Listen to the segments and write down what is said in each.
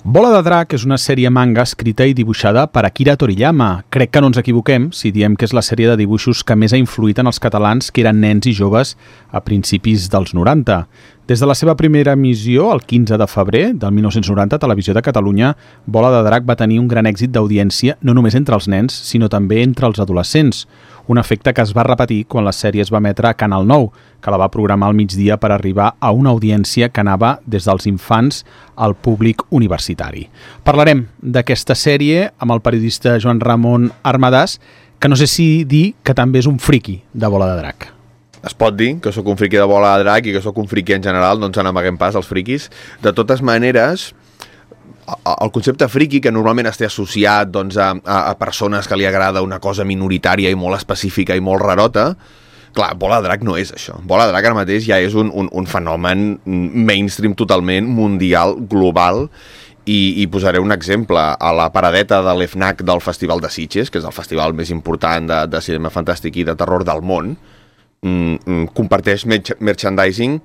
Bola de Drac és una sèrie manga escrita i dibuixada per Akira Toriyama. Crec que no ens equivoquem si diem que és la sèrie de dibuixos que més ha influït en els catalans que eren nens i joves a principis dels 90. Des de la seva primera emissió, el 15 de febrer del 1990, a Televisió de Catalunya, Bola de Drac va tenir un gran èxit d'audiència no només entre els nens, sinó també entre els adolescents. Un efecte que es va repetir quan la sèrie es va emetre a Canal 9, que la va programar al migdia per arribar a una audiència que anava des dels infants al públic universitari. Parlarem d'aquesta sèrie amb el periodista Joan Ramon Armadàs, que no sé si dir que també és un friqui de Bola de Drac. Es pot dir que sóc un friqui de Bola de Drac i que sóc un friqui en general, no ens n'amaguem pas els friquis. De totes maneres, el concepte friqui, que normalment està associat doncs, a persones que li agrada una cosa minoritària i molt específica i molt rarota, clar, Bola de Drac no és això. Bola de Drac ara mateix ja és un fenomen mainstream totalment, mundial, global, i posaré un exemple. A la paradeta de l'FNAC del Festival de Sitges, que és el festival més important de cinema fantàstic i de terror del món, comparteix merchandising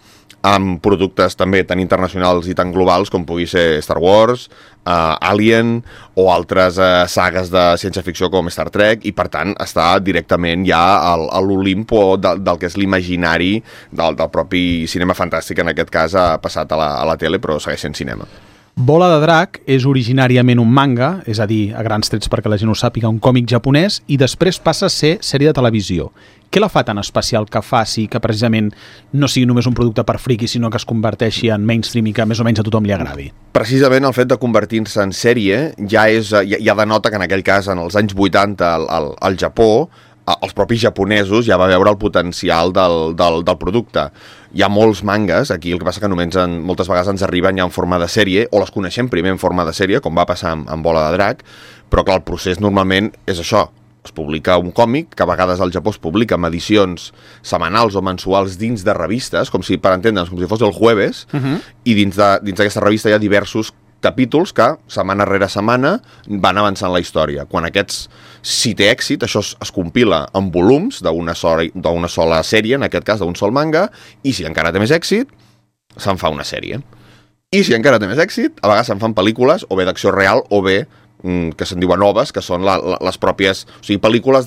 amb productes també tan internacionals i tan globals com pugui ser Star Wars, Alien o altres sagues de ciència-ficció com Star Trek, i per tant està directament ja a l'Olimpo del que és l'imaginari del propi cinema fantàstic. En aquest cas ha passat a la tele, però segueix sent cinema. Bola de Drac és originàriament un manga, és a dir, a grans trets perquè la gent ho sàpiga, un còmic japonès, i després passa a ser sèrie de televisió. Què la fa tan especial que faci que precisament no sigui només un producte per friqui, sinó que es converteixi en mainstream i que més o menys a tothom li agradi? Precisament el fet de convertir-se en sèrie ja denota que en aquell cas, en els anys 80, al Japó, els propis japonesos ja va veure el potencial del producte. Hi ha molts mangas, aquí el que passa que només moltes vegades ens arriben ja en forma de sèrie, o les coneixem primer en forma de sèrie, com va passar amb Bola de Drac, però clar, el procés normalment és això. Es publica un còmic, que a vegades al Japó es publica en edicions setmanals o mensuals dins de revistes, com si, per entendre'ns, com si fos el Jueves, i dins d'aquesta revista hi ha diversos capítols que, setmana rere setmana, van avançant la història. Quan aquests, si té èxit, això es compila en volums d'una sola sèrie, en aquest cas d'un sol manga, i si encara té més èxit, se'n fa una sèrie. I si encara té més èxit, a vegades se'n fan pel·lícules, o bé d'acció real, o bé que se'n diuen noves, que són les pròpies, o sigui, pel·lícules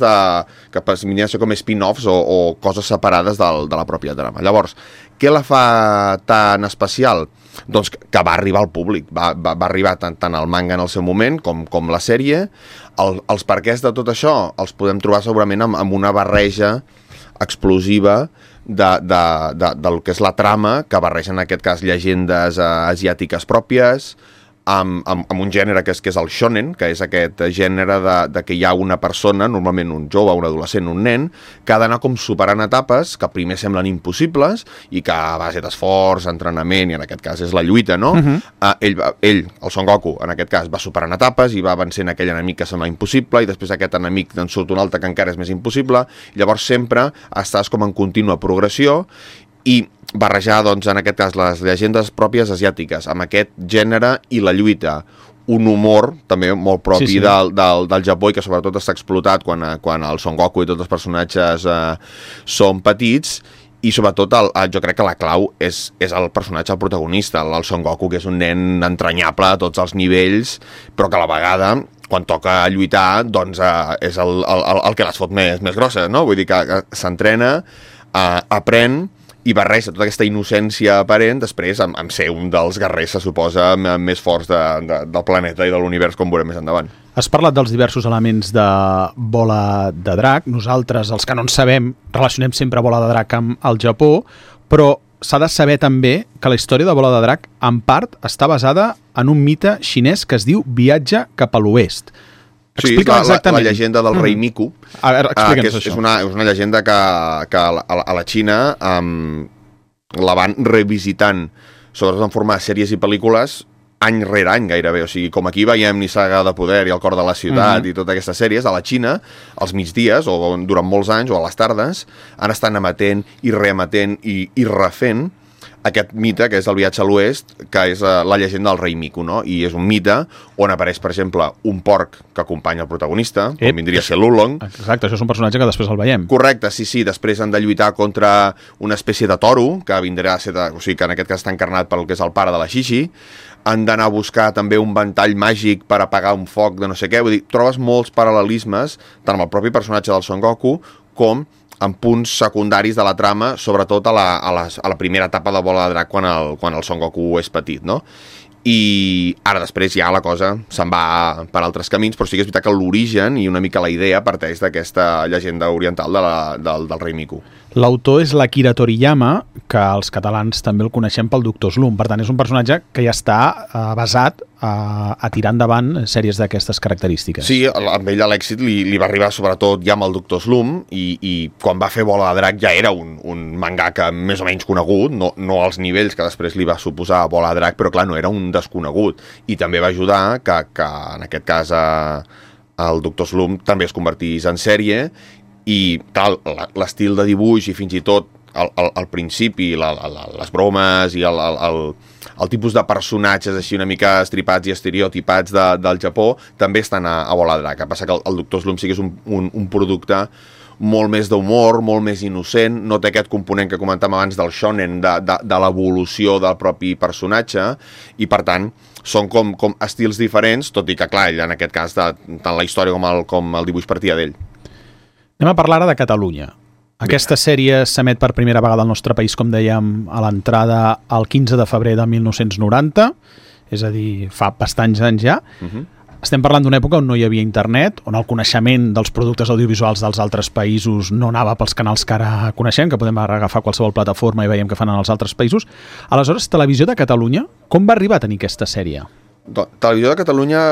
que podrien ser com spin-offs o coses separades de la pròpia trama. Llavors, què la fa tan especial? Doncs que va arribar al públic, va arribar tant el manga en el seu moment com la sèrie. Els perquès de tot això els podem trobar segurament amb una barreja explosiva del que és la trama, que barreja en aquest cas llegendes asiàtiques pròpies, amb un gènere que és el shonen, que és aquest gènere de que hi ha una persona, normalment un jove, un adolescent, un nen, que ha d'anar com superant etapes que primer semblen impossibles i que a base d'esforç, entrenament, i en aquest cas és la lluita, no? Ell, el Son Goku, en aquest cas, va superant etapes i va vencent aquell enemic que sembla impossible, i després aquest enemic en surt un altre que encara és més impossible, i llavors sempre estàs com en contínua progressió, i barrejar, doncs, en aquest cas, les llegendes pròpies asiàtiques amb aquest gènere i la lluita. Un humor també molt propi del Japó i que sobretot està explotat quan el Son Goku i tots els personatges són petits, i sobretot jo crec que la clau és el personatge, el protagonista, el Son Goku, que és un nen entranyable a tots els nivells, però que a la vegada, quan toca lluitar, doncs és el que les fot més grosses, no? Vull dir que s'entrena, aprèn, i barreja tota aquesta innocència aparent després amb ser un dels guerrers, se suposa, més forts del planeta i de l'univers, com veurem més endavant. Has parlat dels diversos elements de Bola de Drac. Nosaltres, els que no en sabem, relacionem sempre Bola de Drac amb el Japó, però s'ha de saber també que la història de Bola de Drac, en part, està basada en un mite xinès que es diu Viatge cap a l'Oest. Sí, la llegenda del rei Miku, que és una llegenda que a la Xina la van revisitant, sobretot en forma de sèries i pel·lícules, any rere any gairebé. O sigui, com aquí veiem Nissaga de Poder i El cor de la ciutat i totes aquestes sèries, a la Xina, als migdies o durant molts anys o a les tardes, han estat emetent i reemetent i refent aquest mite, que és el viatge a l'oest, que és la llegenda del rei Miku, no? I és un mite on apareix, per exemple, un porc que acompanya el protagonista, com vindria a ser l'Oolong. Exacte, això és un personatge que després el veiem. Correcte, sí, després han de lluitar contra una espècie de toro, que vindrà a ser, o sigui, que en aquest cas està encarnat pel que és el pare de la Xixi, han d'anar a buscar també un ventall màgic per apagar un foc de no sé què. Vull dir, trobes molts paral·lelismes, tant amb el propi personatge del Son Goku com en punts secundaris de la trama, sobretot a la primera etapa de Bola de Drac quan el Son Goku és petit, no? I ara després ja la cosa se'n va per altres camins, però sí que és veritat que l'origen i una mica la idea parteix d'aquesta llegenda oriental del rei Miku. L'autor és l'Akira Toriyama, que els catalans també el coneixem pel Doctor Slump. Per tant, és un personatge que ja està basat a tirar endavant sèries d'aquestes característiques. Sí, amb ell l'èxit li va arribar sobretot ja amb el Doctor Slump i quan va fer Bola de Drac ja era un mangaka més o menys conegut, no als nivells que després li va suposar Bola de Drac, però clar, no era un desconegut. I també va ajudar que en aquest cas el Doctor Slump també es convertís en sèrie i tal, l'estil de dibuix i fins i tot al principi les bromes i el tipus de personatges així una mica estripats i estereotipats del Japó també estan a Bola de Drac. El que passa que el Doctor Slump sí que és un producte molt més d'humor, molt més innocent, no té aquest component que comentàvem abans del shonen, de l'evolució del propi personatge, i per tant són com estils diferents, tot i que clar, ell en aquest cas tant la història com el dibuix partia d'ell. Anem a parlar ara de Catalunya. Aquesta sèrie s'emet per primera vegada al nostre país, com dèiem, a l'entrada el 15 de febrer de 1990, és a dir, fa bastants anys ja. Estem parlant d'una època on no hi havia internet, on el coneixement dels productes audiovisuals dels altres països no anava pels canals que ara coneixem, que podem agafar qualsevol plataforma i veiem què fan en els altres països. Aleshores, Televisió de Catalunya, com va arribar a tenir aquesta sèrie? Televisió de Catalunya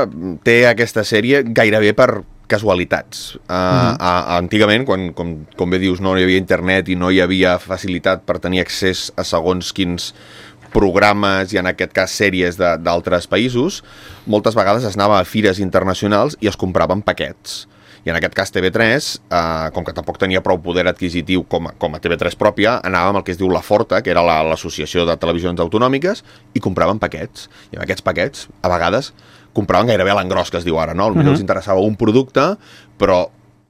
té aquesta sèrie gairebé per casualitats. Antigament, com bé dius, no hi havia internet i no hi havia facilitat per tenir accés a segons quins programes i en aquest cas sèries d'altres països, moltes vegades es anava a fires internacionals i es compraven paquets. I en aquest cas TV3, com que tampoc tenia prou poder adquisitiu com a TV3 pròpia, anàvem al que es diu La Forta, que era l'Associació de Televisions Autonòmiques, i compraven paquets. I amb aquests paquets, a vegades, compraven gairebé a l'engròs, que es diu ara, no? Potser els interessava un producte, però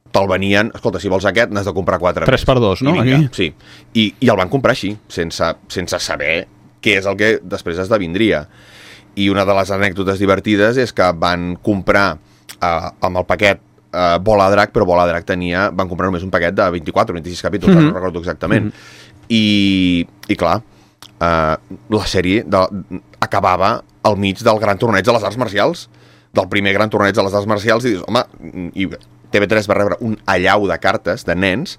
te'l venien, escolta, si vols aquest, n'has de comprar 4 3 per 2, no? Vinga, sí. I el van comprar així, sense saber què és el que després esdevindria. I una de les anècdotes divertides és que van comprar amb el paquet Bola de Drac, però Bola de Drac van comprar només un paquet de 24 o 26 capítols, no recordo exactament. I clar, la sèrie acabava al mig del gran torneig de les arts marcials, del primer gran torneig de les arts marcials, i dius, home, i TV3 va rebre un allau de cartes de nens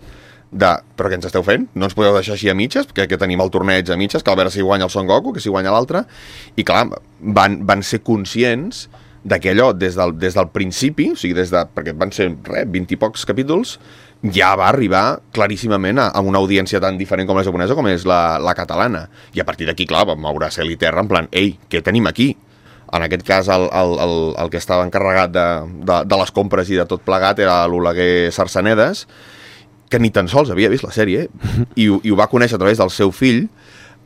però què ens esteu fent? No ens podeu deixar així a mitges? Que tenim el torneig a mitges, que a veure si guanya el Son Goku, que si guanya l'altre. I clar, van ser conscients que allò, des del principi, o sigui, perquè van ser 20 i pocs capítols, ja va arribar claríssimament a una audiència tan diferent com la japonesa com és la catalana. I a partir d'aquí, clar, vam moure cel i terra en plan, ei, què tenim aquí? En aquest cas, el que estava encarregat de les compres i de tot plegat era l'Oleguer Sarsanedes, que ni tan sols havia vist la sèrie, i ho va conèixer a través del seu fill.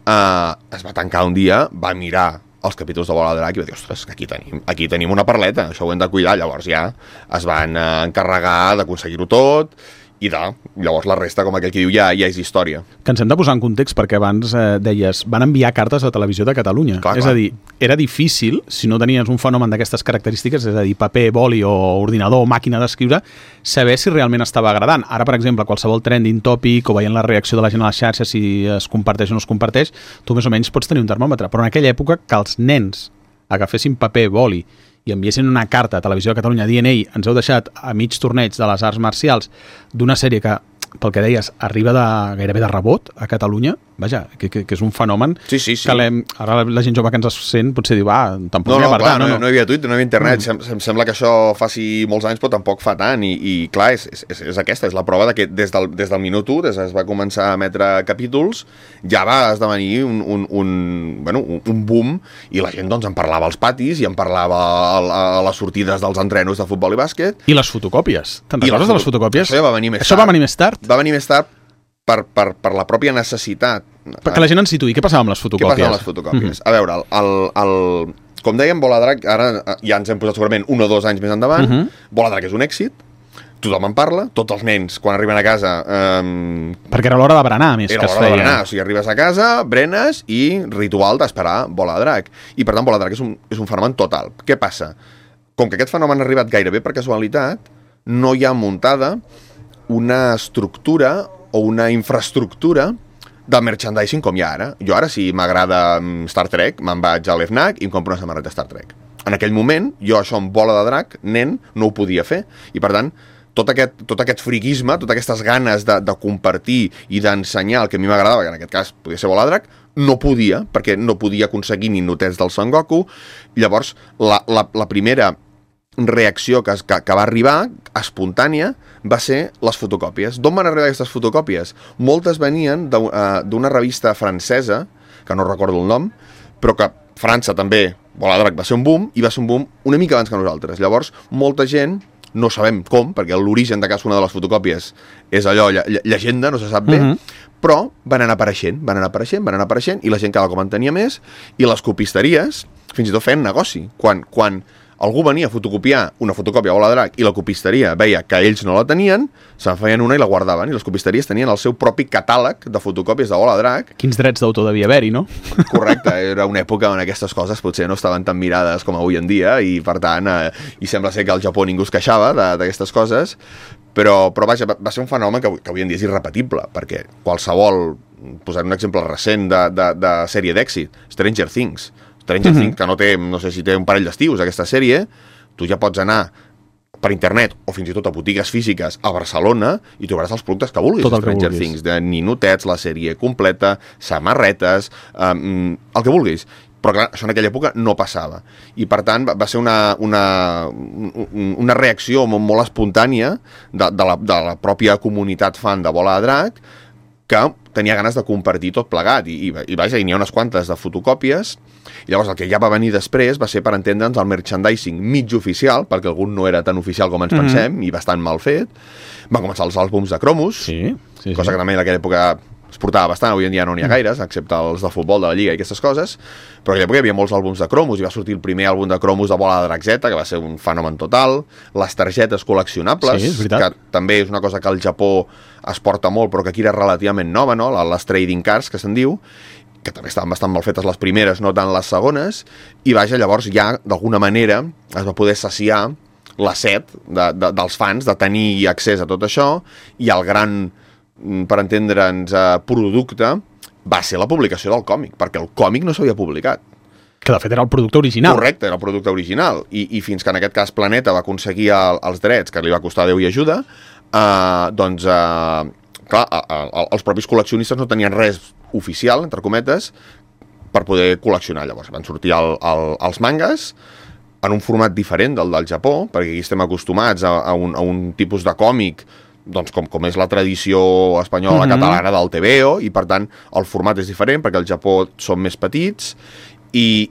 Es va tancar un dia, va mirar els capítols de Bola de Drac i va dir, ostres, que aquí tenim una perleta, això ho hem de cuidar. Llavors ja es van encarregar d'aconseguir-ho tot, i llavors la resta, com aquell que diu, ja és història. Que ens hem de posar en context, perquè abans deies, van enviar cartes a Televisió de Catalunya. Clar. A dir, era difícil, si no tenies un fenomen d'aquestes característiques, és a dir, paper, boli o ordinador o màquina d'escriure, saber si realment estava agradant. Ara, per exemple, qualsevol trending topic o veient la reacció de la gent a les xarxes, si es comparteix o no es comparteix, tu més o menys pots tenir un termòmetre. Però en aquella època, que els nens agafessin paper, boli i enviessin una carta a Televisió de Catalunya dient, ei, ens heu deixat a mig torneig de les arts marcials d'una sèrie que, pel que deies, arriba gairebé de rebot a Catalunya, vaja, que és un fenomen. Sí. Que ara la gent jove que ens sent potser diu, tampoc no hi havia Twitter, no hi havia internet, em sembla que això faci molts anys però tampoc fa tant, i clar, és aquesta, és la prova de que des del minut 1, des que es va començar a emetre capítols, ja va esdevenir un boom, i la gent doncs en parlava als patis i en parlava a les sortides dels entrenos de futbol i bàsquet. I les fotocòpies, te'n recordes de les fotocòpies? Això ja va venir més tard. Això va venir més tard? Va venir més tard per la pròpia necessitat. Perquè la gent ens situï, què passava amb les fotocòpies? Què passava amb les fotocòpies? A veure, com dèiem, Bola de Drac, ara ja ens hem posat segurament 1 o 2 anys més endavant, Bola de Drac és un èxit, tothom en parla, tots els nens, quan arriben a casa... Perquè era l'hora de berenar, més que es feia. Era l'hora de berenar, o sigui, arribes a casa, berenes i ritual d'esperar Bola de Drac. I, per tant, Bola de Drac és un fenomen total. Què passa? Com que aquest fenomen ha arribat gairebé per casualitat, no hi ha muntada una estructura o una infraestructura de merchandising com hi ha ara. Jo ara, si m'agrada Star Trek, me'n vaig a l'FNAC i em compro una samarreta Star Trek. En aquell moment, jo això amb Bola de Drac, nen, no ho podia fer. I, per tant, tot aquest friquisme, totes aquestes ganes de compartir i d'ensenyar el que a mi m'agradava, que en aquest cas podia ser Bola de Drac, no podia, perquè no podia aconseguir ni notets del Son Goku. Llavors, la primera reacció que va arribar, espontània, va ser les fotocòpies. D'on van arribar aquestes fotocòpies? Moltes venien d'una revista francesa, que no recordo el nom, però que França també, Bola de Drac va ser un boom, i va ser un boom una mica abans que nosaltres. Llavors, molta gent, no sabem com, perquè l'origen de cadascuna de les fotocòpies és allò, llegenda, no se sap bé, però van anar apareixent, i la gent cada cop en tenia més, i les copisteries fins i tot feien negoci. Quan algú venia a fotocopiar una fotocòpia a Bola de Drac i la copisteria veia que ells no la tenien, se'n feien una i la guardaven, i les copisteries tenien el seu propi catàleg de fotocòpies de Bola de Drac. Quins drets d'autor devia haver-hi, no? Correcte, era una època on aquestes coses potser no estaven tan mirades com avui en dia, i per tant, i sembla ser que al Japó ningú es queixava d'aquestes coses, però vaja, va ser un fenomen que avui en dia és irrepetible, perquè qualsevol, posar un exemple recent de sèrie d'èxit, Stranger Things, que no sé si té un parell d'estius, aquesta sèrie, tu ja pots anar per internet o fins i tot a botigues físiques a Barcelona i trobaràs els productes que vulguis. Tot el Stranger que vulguis. Things, de ninotets, la sèrie completa, samarretes, el que vulguis. Però clar, això en aquella època no passava. I per tant va ser una reacció molt espontània de la pròpia comunitat fan de Bola de Drac, que tenia ganes de compartir tot plegat, i vaja, n'hi ha unes quantes de fotocòpies, i llavors el que ja va venir després va ser, per entendre'ns, el merchandising mig oficial, perquè algun no era tan oficial com ens pensem, i bastant mal fet. Van començar els àlbums de cromos, cosa que també en aquella època es portava bastant, avui en dia no n'hi ha gaires, excepte els de futbol, de la Lliga i aquestes coses, però en aquella època hi havia molts àlbums de cromos, i va sortir el primer àlbum de cromos de Bola de Drac Z, que va ser un fenomen total, les targetes col·leccionables, que també és una cosa que al Japó es porta molt, però que aquí era relativament nova, no? Les trading cards, que se'n diu, que també estaven bastant mal fetes les primeres, no tant les segones, i vaja, llavors ja, d'alguna manera, es va poder saciar la set dels fans de tenir accés a tot això, i el gran, per entendre'ns, producte va ser la publicació del còmic, perquè el còmic no s'havia publicat. Que de fet era el producte original. Correcte, era el producte original, i fins que en aquest cas Planeta va aconseguir els drets, que li va costar Déu i ajuda, doncs, clar, els propis col·leccionistes no tenien res oficial, entre cometes, per poder col·leccionar. Llavors van sortir els mangas en un format diferent del Japó, perquè aquí estem acostumats a un tipus de còmic, doncs com és la tradició espanyola catalana del TVO, i per tant el format és diferent, perquè al Japó són més petits, i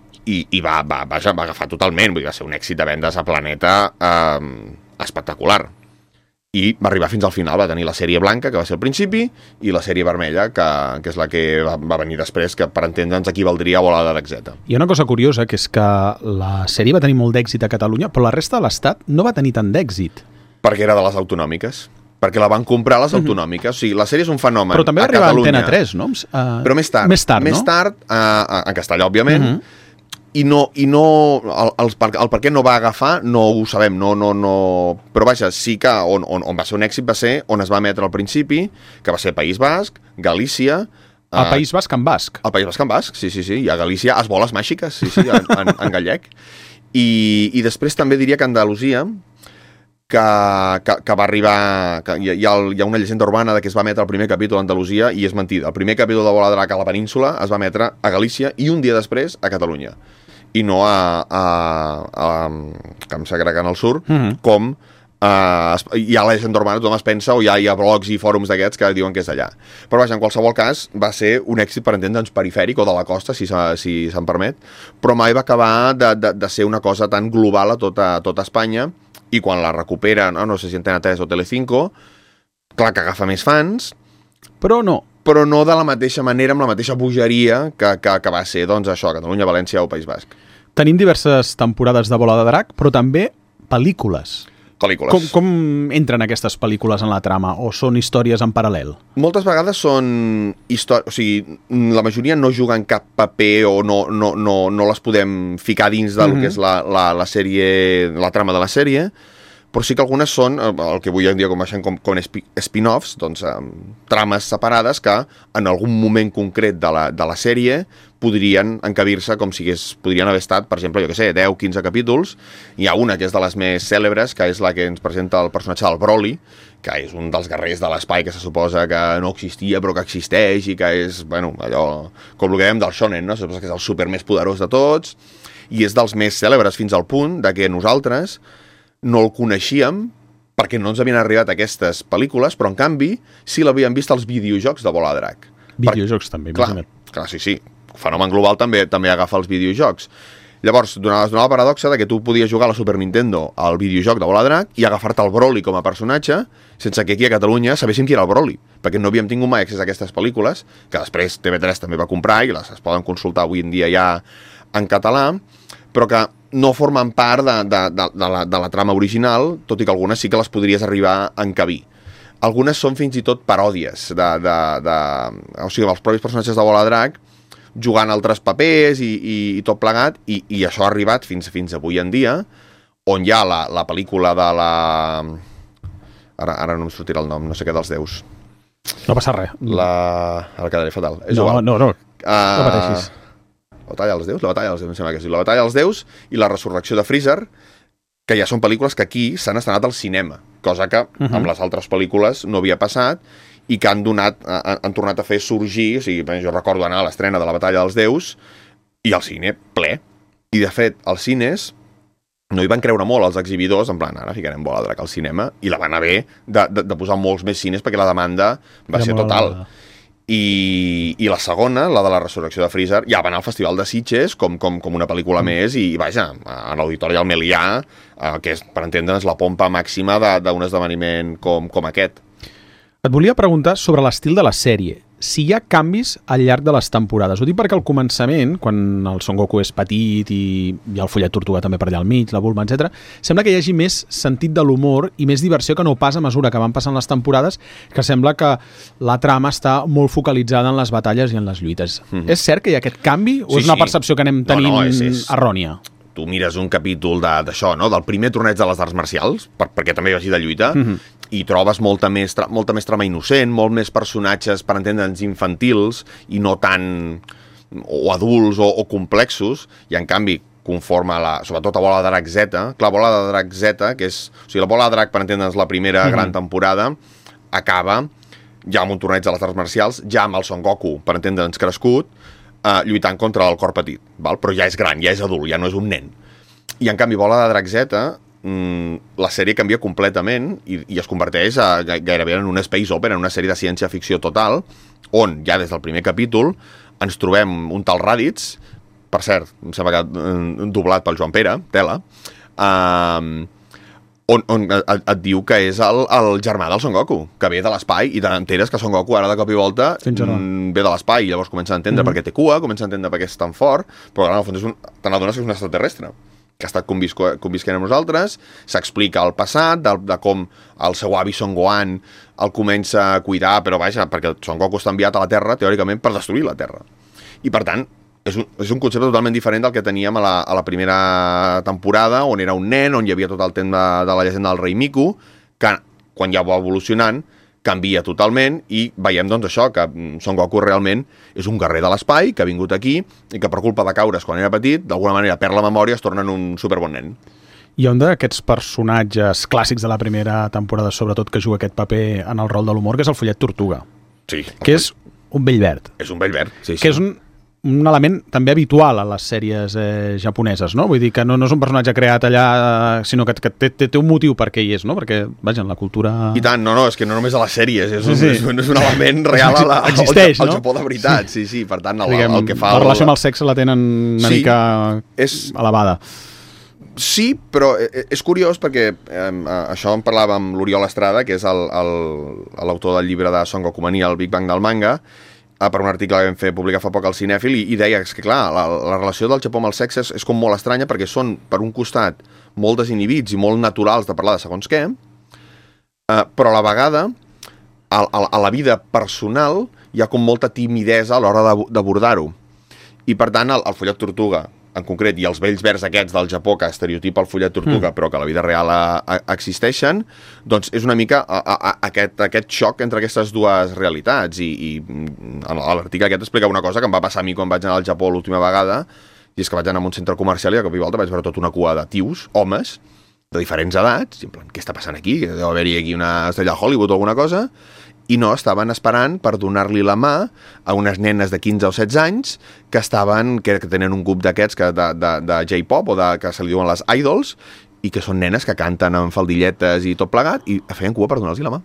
va agafar totalment, vull dir, va ser un èxit de vendes a Planeta espectacular. I va arribar fins al final, va tenir la sèrie blanca, que va ser al principi, i la sèrie vermella, que és la que va venir després, que per entendre'ns equivaldria a Bola de Drac Z. Hi ha una cosa curiosa, que és que la sèrie va tenir molt d'èxit a Catalunya, però la resta de l'Estat no va tenir tant d'èxit. Perquè era de les autonòmiques. Perquè la van comprar les autonòmiques. O sigui, la sèrie és un fenomen a Catalunya. Però també va arribar a Antena 3, no? Però més tard. Més tard, en castellà, òbviament, i el per què no va agafar no ho sabem, però vaja, sí que on va ser un èxit va ser on es va emetre al principi, que va ser País Basc, Galícia... El País Basc en basc. El País Basc en basc, sí, i a Galícia es boles màgiques, en gallec. I després també diria que Andalusia, que va arribar... Hi ha una llegenda urbana de que es va emetre el primer capítol a Andalusia, i és mentida. El primer capítol de Bola de Drac a la península es va emetre a Galícia i un dia després a Catalunya. I no que em s'agrega en el sur, com hi ha la llegenda urbana, tothom es pensa, o hi ha blogs i fòrums d'aquests que diuen que és allà. Però vaja, en qualsevol cas, va ser un èxit, per entendre'ns, perifèric o de la costa, si se'n permet, però mai va acabar de ser una cosa tan global a tota Espanya, i quan la recuperen, no sé si Antena 3 o Telecinco, clar que agafa més fans, però no de la mateixa manera, amb la mateixa bogeria que va ser, doncs, això, Catalunya, València o País Basc. Tenim diverses temporades de Bola de Drac, però també pel·lícules. pel·lícules. Com entren aquestes pel·lícules en la trama? O són històries en paral·lel? Moltes vegades són històries... O sigui, la majoria no juguen cap paper o no les podem ficar dins del que és la sèrie, la trama de la sèrie, però sí que algunes són, el que avui en dia coneixem com spin-offs, doncs trames separades que en algun moment concret de la sèrie podrien encabir-se com si podrien haver estat, per exemple, jo què sé, 10-15 capítols. Hi ha una que és de les més cèlebres, que és la que ens presenta el personatge del Broly, que és un dels guerrers de l'espai que se suposa que no existia però que existeix i que és, bueno, allò, com el que dèiem del shonen, no? Se suposa que és el super més poderós de tots i és dels més cèlebres fins al punt de que nosaltres no el coneixíem perquè no ens havien arribat aquestes pel·lícules, però en canvi sí l'havien vist als videojocs de Bola de Drac. Videojocs també, imagina't. Clar, sí. Fenomen global també agafa els videojocs. Llavors, donava la paradoxa de que tu podies jugar a la Super Nintendo al videojoc de Bola de Drac i agafar-te el Broly com a personatge sense que aquí a Catalunya sabéssim qui era el Broly, perquè no havíem tingut mai accés a aquestes pel·lícules, que després TV3 també va comprar i es poden consultar avui en dia ja en català, però que no formen part de la trama original, tot i que algunes sí que les podries arribar a encabir. Algunes són fins i tot paròdies o sigui, els propis personatges de Bola de Drac jugant altres papers i tot plegat, i això ha arribat fins avui en dia, on hi ha la pel·lícula de la... Ara no em sortirà el nom, no sé què dels déus. No passa res. Ara quedaré fatal. No pateixis. La batalla dels déus, em sembla que sí. La batalla dels déus i la resurrecció de Freezer, que ja són pel·lícules que aquí s'han estrenat al cinema, cosa que amb les altres pel·lícules no havia passat i que han tornat a fer sorgir, o sigui, jo recordo anar a l'estrena de la batalla dels déus i el cine ple. I de fet, els cines no hi van creure molt els exhibidors, en plan, ara ficarem Bola de Drac al cinema, i la van haver de posar molts més cines perquè la demanda va ser total. I la segona, la de la resurrecció de Freezer, ja va anar al Festival de Sitges com una pel·lícula més i vaja, a l'Auditori del Melià, que és, per entendre'ns, la pompa màxima d'un esdeveniment com aquest. Et volia preguntar sobre l'estil de la sèrie. Si hi ha canvis al llarg de les temporades. Ho dic perquè al començament, quan el Son Goku és petit i hi ha el Follet Tortuga també per allà al mig, la Bulma, etc., sembla que hi hagi més sentit de l'humor i més diversió que no pas a mesura que van passant les temporades, que sembla que la trama està molt focalitzada en les batalles i en les lluites. És cert que hi ha aquest canvi o és una percepció que anem tenint errònia? Tu mires un capítol d'això, no? Del primer torneig de les arts marcials, perquè també hi hagi de lluita, i trobes molta més trama innocent, molt més personatges, per entendre'ns, infantils, i no tan o adults o complexos, i en canvi, conforme sobretot a Bola de Drac Z, clar, Bola de Drac Z, que és... O sigui, la Bola de Drac, per entendre'ns, la primera gran temporada, acaba ja amb un torneig de les arts marcials, ja amb el Son Goku, per entendre'ns, crescut, lluitant contra el cor petit, val? Però ja és gran, ja és adult, ja no és un nen. I en canvi Bola de Drac Z, la sèrie canvia completament i es converteix gairebé en un space opera, en una sèrie de ciència-ficció total, on ja des del primer capítol ens trobem un tal Raditz, per cert, em sembla que doblat pel Joan Pere, tela, on et diu que és el germà del Son Goku, que ve de l'espai, i t'enteres que Son Goku ara de cop i volta ve de l'espai, i llavors comença a entendre per què té cua, comença a entendre per què és tan fort, però en el fons te n'adones que és un extraterrestre, que ha estat convisquent amb nosaltres, s'explica el passat, de com el seu avi Son Gohan el comença a cuidar, però vaja, perquè Son Goku està enviat a la Terra, teòricament, per destruir la Terra. I per tant, és un concepte totalment diferent del que teníem a la primera temporada, on era un nen, on hi havia tot el tema de la llegenda del rei Miku, que quan ja va evolucionant canvia totalment i veiem doncs això, que Son Goku realment és un guerrer de l'espai, que ha vingut aquí i que per culpa de caure's quan era petit, d'alguna manera perd la memòria i es torna en un superbon nen. Hi ha un d'aquests personatges clàssics de la primera temporada, sobretot, que juga aquest paper en el rol de l'humor, que és el Follet Tortuga. Sí. Que és un vell verd. És un vell verd, sí. Que és un element també habitual a les sèries japoneses, no? Vull dir que no és un personatge creat allà, sinó que té un motiu per què hi és, no? Perquè, vaja, en la cultura... I tant, no, és que no només a les sèries, és un element real existeix, al Japó de veritat, sí, per tant, el que fa... La relació amb el sexe la tenen una mica elevada. Sí, però és curiós perquè això en parlava amb l'Oriol Estrada, que és l'autor del llibre de Son Goku Mania, el Big Bang del manga, per un article que vam fer publicar fa poc al Cinèfil i deia que, clar, la relació del Japó amb el sexe és com molt estranya perquè són, per un costat, molt desinhibits i molt naturals de parlar de segons què, però a la vegada, a la vida personal, hi ha com molta timidesa a l'hora d'abordar-ho. I, per tant, el follet tortuga, en concret, i els vells verds aquests del Japó que estereotipa el follet tortuga però que a la vida real existeixen, doncs és una mica aquest xoc entre aquestes dues realitats i l'article aquest explica una cosa que em va passar a mi quan vaig anar al Japó l'última vegada, i és que vaig anar a un centre comercial i de cop i volta vaig veure tota una cua de tios, homes, de diferents edats, i en plan, què està passant aquí? Deu haver-hi aquí una estrella de Hollywood o alguna cosa, i no, estaven esperant per donar-li la mà a unes nenes de 15 o 16 anys que tenen un grup d'aquests de J-pop o que se li diuen les idols i que són nenes que canten amb faldilletes i tot plegat i feien cua per donar-los la mà.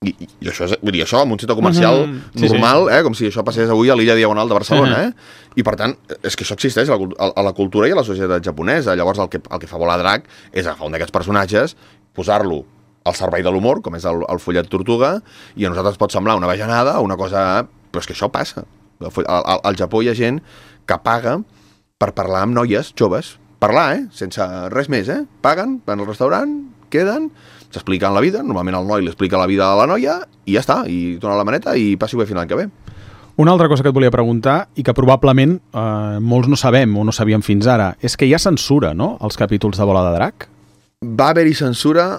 I això, vull dir, això en un centre comercial normal, com si això passés avui a l'illa Diagonal de Barcelona, I per tant, és que això existeix a la cultura i a la societat japonesa. Llavors el que fa Bola de Drac és agafar un d'aquests personatges, posar-lo al servei de l'humor, com és el follet tortuga, i a nosaltres pot semblar una bajanada o una cosa... Però és que això passa. Al Japó hi ha gent que paga per parlar amb noies joves. Parlar, sense res més, Paguen, van al restaurant, queden, s'expliquen la vida, normalment el noi li explica la vida a la noia, i ja està, i dona la maneta i passi-ho bé fins l'any que ve. Una altra cosa que et volia preguntar, i que probablement molts no sabem o no sabíem fins ara, és que hi ha censura, no?, als capítols de Bola de Drac? Va haver-hi censura,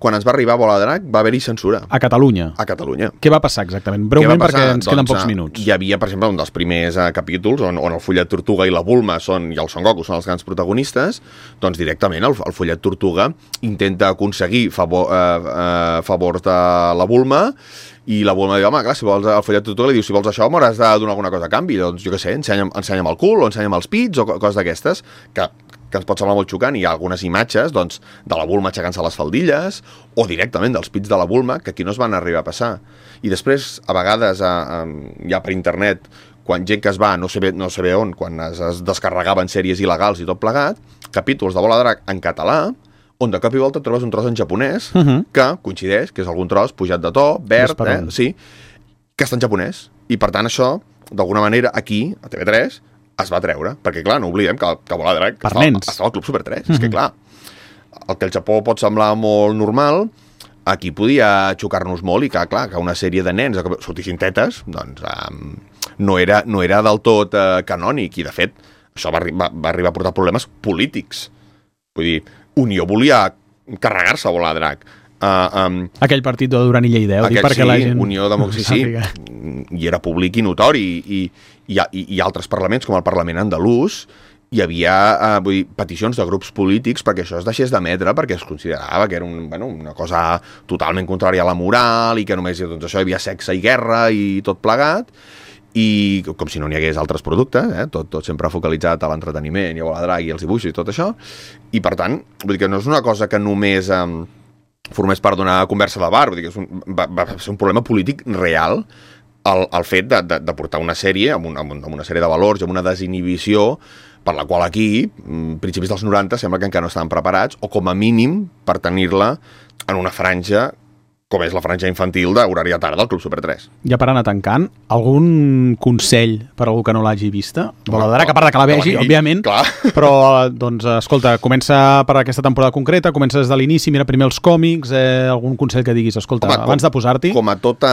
quan ens va arribar Bola de Drac, va haver-hi censura. A Catalunya? A Catalunya. Què va passar exactament? Breument, perquè ens queden pocs minuts. Hi havia, per exemple, un dels primers capítols on el follet tortuga i la Bulma i el Son Goku són els grans protagonistes, doncs directament el follet tortuga intenta aconseguir favors de la Bulma i la Bulma diu, home, clar, si vols el follet tortuga li diu, si vols això m'hauràs de donar alguna cosa a canvi. Doncs, jo què sé, ensenya'm el cul o ensenya'm els pits o coses d'aquestes que ens pot semblar molt xocant. Hi ha algunes imatges doncs, de la Bulma aixecant-se les faldilles o directament dels pits de la Bulma que aquí no es van arribar a passar. I després, a vegades, ja per internet, quan gent que es va, no sé bé on, quan es descarregaven sèries il·legals i tot plegat, capítols de Bola de Drac en català, on de cop i volta trobes un tros en japonès que coincideix, que és algun tros pujat de to, verd, sí, que està en japonès. I per tant això, d'alguna manera, aquí, a TV3, es va treure, perquè clar, no oblidem que Bola de Drac estava al Club Super 3, és que clar, el que al Japó pot semblar molt normal, aquí podia xocar-nos molt i que clar, que una sèrie de nens que sortissin tetes, doncs no era del tot canònic, i de fet això va arribar a portar problemes polítics. Vull dir, Unió volia carregar-se Bola de Drac. Aquell partit de Duran i Lleida, perquè la gent... Unió Democràcia, i era públic i notori, i altres parlaments, com el Parlament andalús, hi havia peticions de grups polítics perquè això es deixés d'emetre, perquè es considerava que era una cosa totalment contrària a la moral i que només doncs, això hi havia sexe i guerra i tot plegat, i com si no n'hi hagués altres productes, tot sempre focalitzat a l'entreteniment i a Bola de Drac i els dibuixos i tot això, i per tant, vull dir que no és una cosa que només formés part d'una conversa de bar, vull dir que va ser un problema polític real el fet de portar una sèrie amb una sèrie de valors i amb una desinhibició per la qual aquí, principis dels 90, sembla que encara no estaven preparats, o com a mínim per tenir-la en una franja com és la franja infantil d'horari de tarda del Club Super 3. Ja per anar tancant, algun consell per a algú que no l'hagi vista? Bola de Drac, a part de que la vegi, òbviament, però, doncs, escolta, comença per aquesta temporada concreta, comença des de l'inici, mira primer els còmics, algun consell que diguis, escolta, abans de posar-t'hi... Com a tota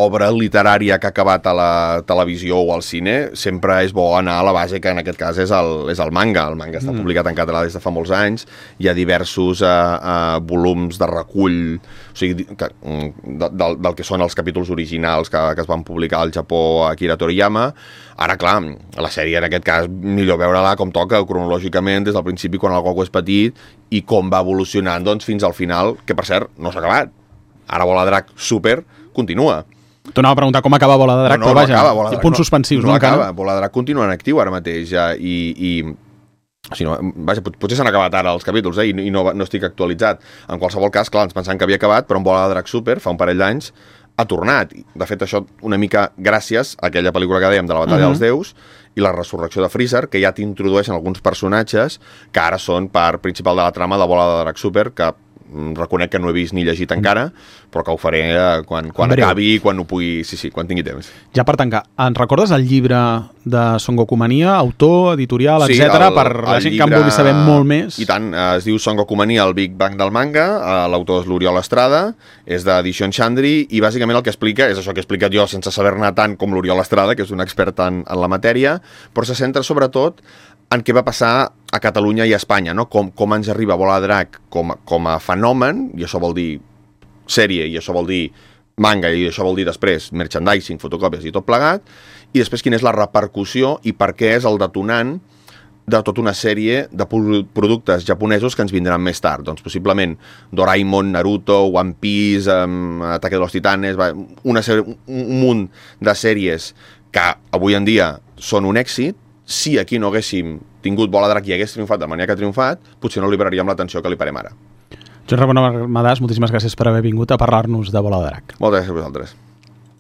obra literària que ha acabat a la televisió o al cine, sempre és bo anar a la base, que en aquest cas és el manga. El manga està publicat en català des de fa molts anys, hi ha diversos volums de recull, o sigui, del que són els capítols originals que es van publicar al Japó a Akira Toriyama. Ara, clar, la sèrie en aquest cas millor veure-la com toca cronològicament des del principi quan el Goku és petit i com va evolucionant doncs, fins al final, que per cert no s'ha acabat. Ara Bola de Drac Super continua. T'anava a preguntar com acaba Bola de Drac, però vaja, acaba, punts suspensius. No acaba, Bola de Drac continua en actiu ara mateix si no, vaja, potser s'han acabat ara els capítols i no estic actualitzat. En qualsevol cas, clar, ens pensàvem que havia acabat, però en Bola de Drac Super, fa un parell d'anys, ha tornat. De fet, això una mica gràcies a aquella pel·lícula que dèiem de la Batalla dels Déus i la resurrecció de Freezer, que ja t'introdueixen alguns personatges que ara són part principal de la trama de Bola de Drac Super, que reconec que no he vist ni llegit encara, però que ho faré quan acabi, quan ho pugui... Sí, quan tingui temps. Ja per tancar, ens recordes el llibre de Son Goku Mania, autor, editorial, etc, per la gent que en vulgui saber molt més? I tant, es diu Son Goku Mania, el Big Bang del manga, l'autor és l'Oriol Estrada, és d'Edició Xandri, i bàsicament el que explica és això que he explicat jo sense saber-ne tant com l'Oriol Estrada, que és un expert en la matèria, però se centra sobretot en què va passar a Catalunya i a Espanya, no? Com ens arriba Bola de Drac com a fenomen, i això vol dir sèrie, i això vol dir manga, i això vol dir després merchandising, fotocòpies i tot plegat, i després quina és la repercussió i per què és el detonant de tota una sèrie de productes japonesos que ens vindran més tard. Doncs possiblement Doraemon, Naruto, One Piece, Ataque de los Titanes, un munt de sèries que avui en dia són un èxit. Si aquí no haguéssim tingut Bola de Drac i hagués triomfat de la manera que ha triomfat, potser no li pararíem l'atenció que li parem ara. Joan Ramon Armadàs, moltíssimes gràcies per haver vingut a parlar-nos de Bola de Drac. Moltes gràcies a vosaltres.